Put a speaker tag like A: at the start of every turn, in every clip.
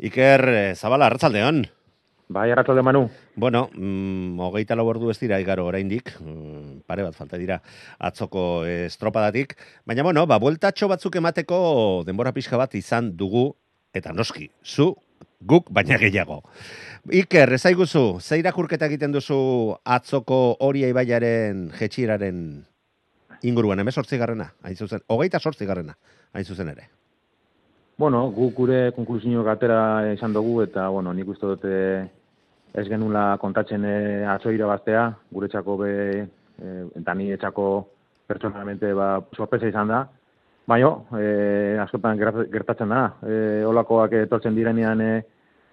A: Iker Zabala, arratsaldeon.
B: Bai, arratsalde Manu.
A: Bueno, 24 ordu ez dira igaro oraindik, pare bat falta dira atzoko estropadatik, baina bueno, bueltatxo batzuk emateko denbora pixka bat izan dugu, eta noski, guk baina gehiago. Iker, ezaiguzu, ze irakurketa egiten duzu atzoko Oria ibaiaren jetxieraren inguruan, 18garrena, hain zuzen, 28garrena, hain zuzen ere.
B: Bueno, gure konklusioak atera izan dugu, eta, nik uste dute ez genula kontatzen atzo irabaztea, guretzako eta ni etxako pertsonalmente sorpresa izan da. Baina, askotan gertatzen da, holakoak etortzen direnean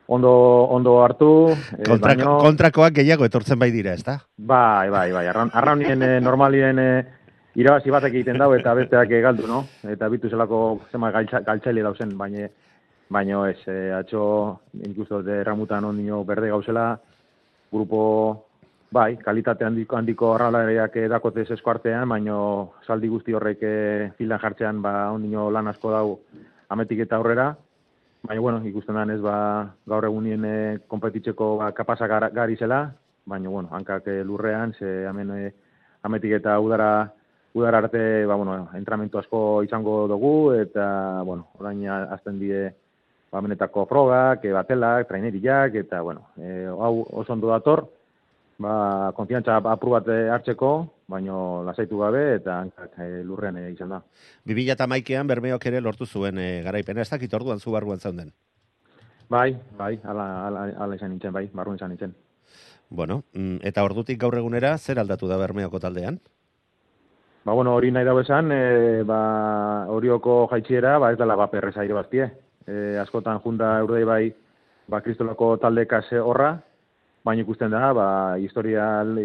B: ondo hartu.
A: Kontrakoak gehiago etortzen bai dira, ez da?
B: Bai, arraunien normalien irabazi batek egiten dau eta besteak galdu, no? Eta bitu zelako zema galtzaile dauzen, baina ez, atxo ikustu dute Ramutan ondino berde gauzela, grupo, bai, kalitate handiko arralariak dakote esko artean, baina saldi guzti horrek filan jartzean ondino lan asko dau ametik eta aurrera, baina, ikusten da ez, gaur egunien konpetitzeko kapazak gari zela, baina, hankak lurrean, ze ametik eta udara arte, entramentu asko izango dugu, eta, orain azten die, benetako frogak, batelak, traineriak, eta, hau oso ondo dator, konfiantza apur bat hartzeko, baino lasaitu gabe, eta hankak lurrean izan da.
A: 2011an Bermeok ere lortu zuen garaipena, ez dakit orduan zu barruan zaunden.
B: Bai, ala izan nintzen, barruan izan nintzen.
A: Bueno, eta ordutik gaur egunera, zer aldatu da Bermeoko taldean?
B: Hori nahi dago esan, horioko jaitxiera, ez dela perreza irabaztie. Askotan junda Urdei bai, kristolako taldekaz horra, baina ikusten da, historial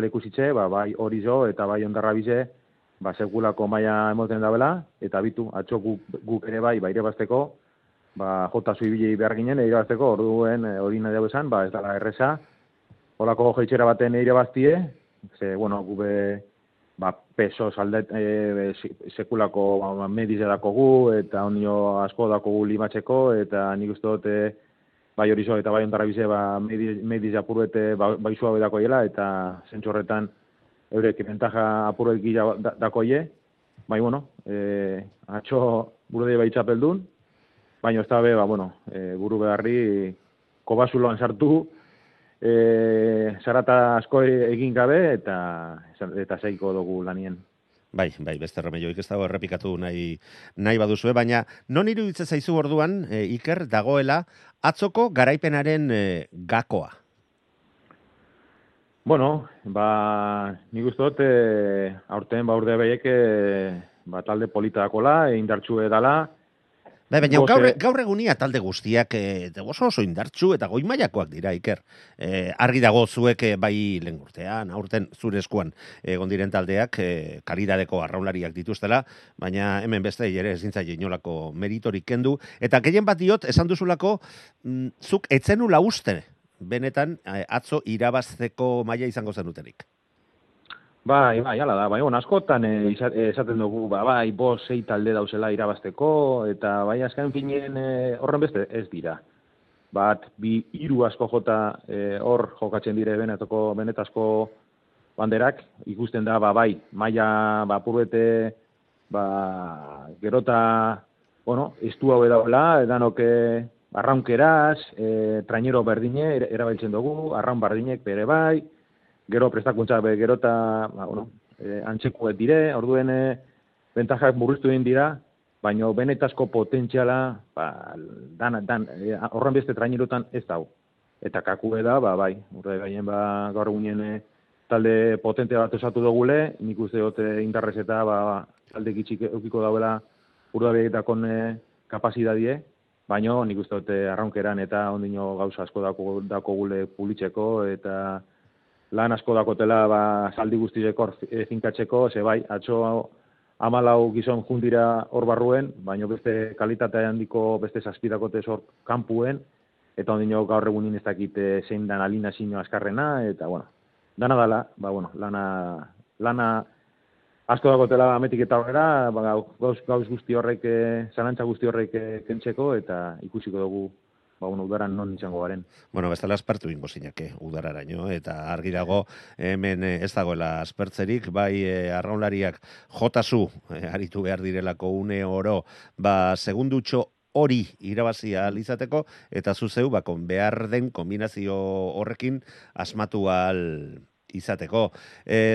B: ikusitxe, bai hori zo eta bai ondarra bize, sekulako maia emoten dabela, eta bitu, atxo guk ere bai irabazteko, jota zuibili behar ginen irabazteko, orduen hori nahi dago esan, ez dela erreza, holako jaitxera baten irabaztie, ze, gube, peso saldet sekulako mediz edako gu, eta onio asko dako gu limatzeko, eta nik uste dute bai horizo eta bai ondarra bize mediz apurrete bai suabe dakoiela, eta zentzu horretan eurek ventaja apurret gila dakoie, bai, atxo burde bai txapeldun, baina ez da be, buru beharri kobasuloan sartu, zarata asko egin gabe eta zeiko dugu lanien.
A: Bai, beste remeioik ez dago errepikatu nahi baduzue, baina non iruditzen zaizu orduan, Iker, dagoela atzoko garaipenaren gakoa?
B: Nik uste dut, aurten urde behiek talde polita dakola, indartxu edala.
A: Baina gaur egunia talde guztiak oso indartxu eta goi mailakoak dira, Iker. Argi dago zuek bai lehen urtean, aurten zure eskuan egon diren taldeak kalidadeko arraunlariak dituztela, baina hemen beste ere ezin zaie inolako meritorik kendu. Eta gehien bat diot, esan duzulako, zuk etzenula uste, benetan atzo irabazteko maila izango zenutenik.
B: Bai, hala da, askotan esaten dugu, bost, 6 talde dauzela irabazteko, eta azken finien horren beste ez dira. 1, 2, 3 asko jota hor jokatzen dire benetazko banderak, ikusten da, maila apurrete, gerota, estu hau edaula, edanok arraunkeraz, trainero berdine erabiltzen dugu, arraun berdinek bere bai, gero prestakuntza gero eta antzekuet dire, orduen bentajak murriztu egin dira, baina benetazko potentziala horren beste trainerotan ez dau. Eta kakue da, urte gaien gaur egunien talde potente bat osatu dugule, nik uste dut indarrez eta talde gitxik eukiko dauela urdabeetakon kapazidadie, baina nik uste dut arraunkeran eta ondino gauza asko dako gule pulitzeko, eta lan asko dakotela saldi guztieko finkatzeko, ze atxo 14 gizon jundira hor barruen, baina beste kalitate handiko beste zazpidakote hor kanpuen, eta ondino gaur egunin ez dakit zein dan alina zino azkarrena, eta dana dala, lana asko dakotela ametik eta horrela, gauz guzti horrek, zalantza guzti horrek kentzeko, eta ikusiko dugu bueno, udaran non izango garen.
A: Bueno, bestela aspertu ingo zinake udararaino, eta argi dago hemen ez dagoela aspertzerik, bai arraunlariak jotazu aritu behar direlako une oro, segundutxo hori irabazia izateko, eta zuzeu, behar den kombinazio horrekin asmatu ahal izateko.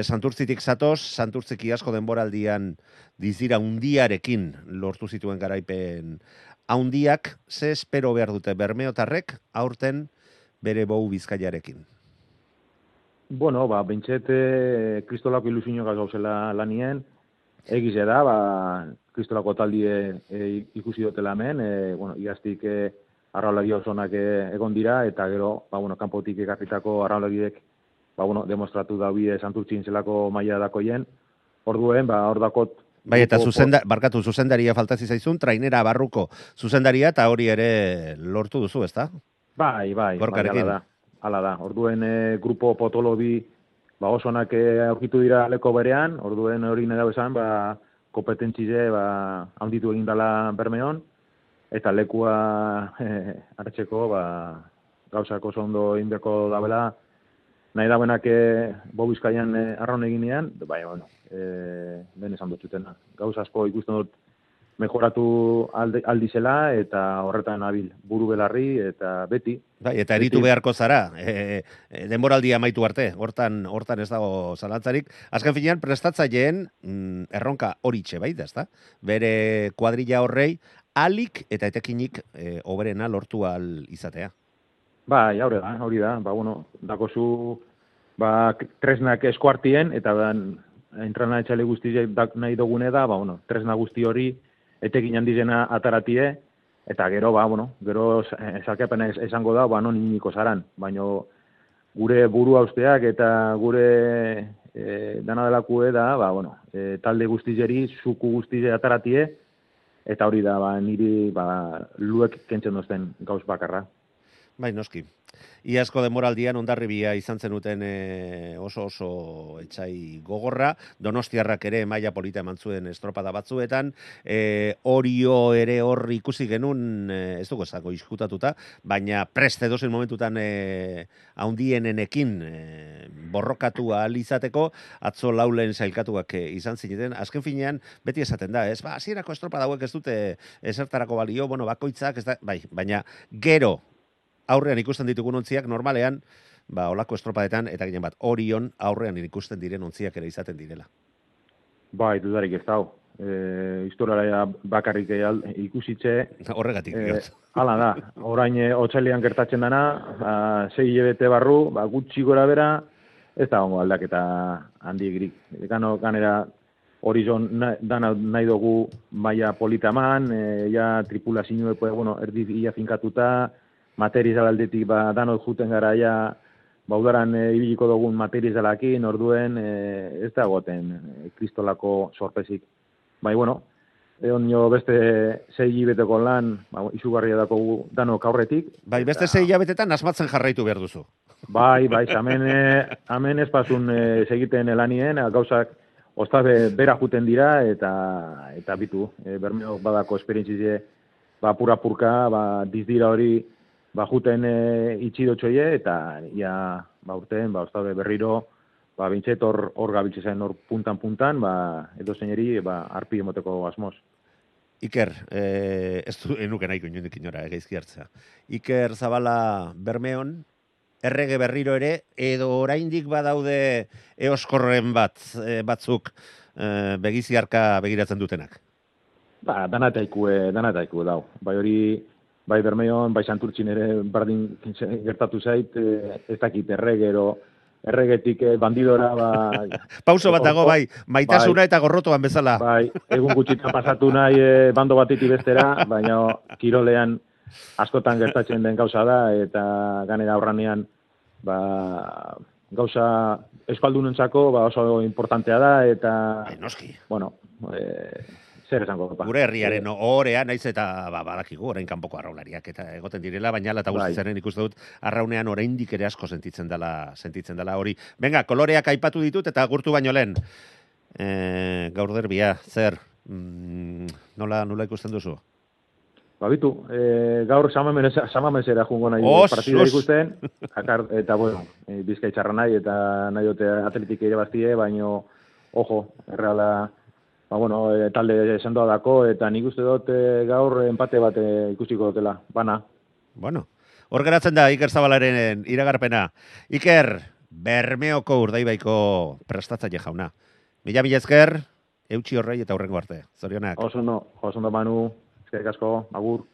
A: Santurtzitik zatoz, Santurtziki asko denboraldian dizira undiarekin lortu zituen garaipen haundiak, ze espero behar dute bermeotarrek aurten bere bou Bizkaiarekin?
B: Bueno, bentset kristolako ilusinio gauzela lanien, egize da, kristolako taldie ikusi dutela hemen, bueno, igaztik arraulari osonak egon dira, eta gero, kanpotik ekarritako arraulariek, demostratu da bide Santurtzin zelako maila dakoien, orduen, hor dakot.
A: Bai, eta zuzendaria faltazi zaizun, trainera barruko zuzendaria, eta hori ere lortu duzu, ezta?
B: Bai, ala da. Orduen grupo potolobi osonak aurkitu dira leko berean, orduen hori nahi dago esan, kompetentzize handitu egin dela Bermeon, eta lekua hartzeko gauzak oso ondo indeko dabela, nahi dauenak Bizkaian arraun eginean, ben esan dutxutena. Gauz asko ikusten dut mejoratu aldizela, eta horretan nabil buru belarri, eta beti.
A: Bai, eta eritu beharko zara, denboraldia amaitu arte, hortan ez dago zalantzarik. Azken finean, prestatzaileen erronka horitxe bai da, ezta? Bere kuadrilla horrei, alik eta etekinik oberena lortu al izatea.
B: Bai, hori da, dakozu tresnak eskuartien, eta entrana etxale guzti nahi dugune da, tresna guzti hori etekin handizena ataratie, eta gero, gero salkapena esango da, non iniko zaran, baina gure buru hausteak eta gure dana delakue da, talde guztizeri, zuku guztize ataratie, eta hori da, niri luek kentzen dozten gauz bakarra.
A: Bai, noski. Iazko denboraldian Hondarribia izan zenuten oso etxai gogorra, Donostiarrak ere maila polita eman zuen estropada batzuetan, Orio ere hor ikusi genuen, ez dugu ezako izkutatuta, baina preste dozen momentutan haundienenekin borrokatu ahal izateko, atzo laulen sailkatuak izan zineten, azken finean beti esaten da, ez? Hasierako estropada hauek ez dute esertarako balio, bakoitzak, ez da, bai, baina gero aurrean ikusten ditugun ontziak, normalean, olako estropadetan, eta ginen bat, Orion aurrean ikusten diren ontziak ere izaten direla.
B: Bai, dudarik ez dau. Historiara bakarrik ikusitze.
A: Horregatik.
B: Hala da, orain otsailean gertatzen dana, 6 hilabete barru, gutxi gora bera, ez da hongo aldaketa handiegrik. Ganera Horizon dana nahi dugu maila politaman, tripulazioa, erdi ia finkatuta, material aldetik danot juten gara udaran ibiliko dugun materialakin, orduen ez da goten kristolako sorpresik. Egon beste 6 hilabeteko lan, izugarria dako danok aurretik.
A: Bai, beste 6 hilabetetan asmatzen jarraitu behar duzu.
B: Bai, hemen ez pasun segiten lanien, gauzak ostabe bera juten dira, eta bitu, Bermeok badako esperientzize, pura-purka, dizdira hori, juten itxidotxoie, eta urten, ostabe berriro, bintxet hor gabiltze zen, hor puntan, edo zeineri, arpi emoteko asmoz.
A: Iker, ez du enuke nahiko inondik inora, geizki hartzea. Iker Zabala Bermeon, errege berriro ere, edo oraindik badaude eoskorren batzuk begiziarka begiratzen dutenak?
B: Danataikue dau. Bai hori, bai Bermeon, bai Santurtzin ere bardin gertatu zait, ez dakit erregetik bandidora,
A: Pauso bat dago, bai, maitasuna eta gorrotoan bezala.
B: Bai, egun gutxitan pasatu nahi bando batetik bestera, baina kirolean askotan gertatzen den gauza da, eta ganera aurranean, gauza eskaldunentzako oso importantea da, eta,
A: noski.
B: zer esango.
A: Gure herriaren ohorea, naiz eta badakigu, orain kanpoko arraunlariak eta egoten direla, baina eta guztitzaren ikusten dut, arraunean oraindik ere asko sentitzen dela hori. Venga, koloreak aipatu ditut eta gurtu baino lehen. Gaur derbia, zer? Nola ikusten duzu?
B: Bitu, gaur samamesera jungo nahi partida ikusten, eta bueno, Bizkaitarra nahi, eta nahi dute atletik ere bastie, baino, ojo, erreala, bueno, talde sendoa dako, eta nik uste dut gaur empate bat ikusiko dutela, bana.
A: Bueno, hor geratzen da Iker Zabalaren iragarpena. Iker, Bermeoko Urdaibaiko prestatzaile jauna. Mila esker, eutxi horrei eta hurrengo arte. Zorionak.
B: Oso ondo Manu, eskerrik asko, agur.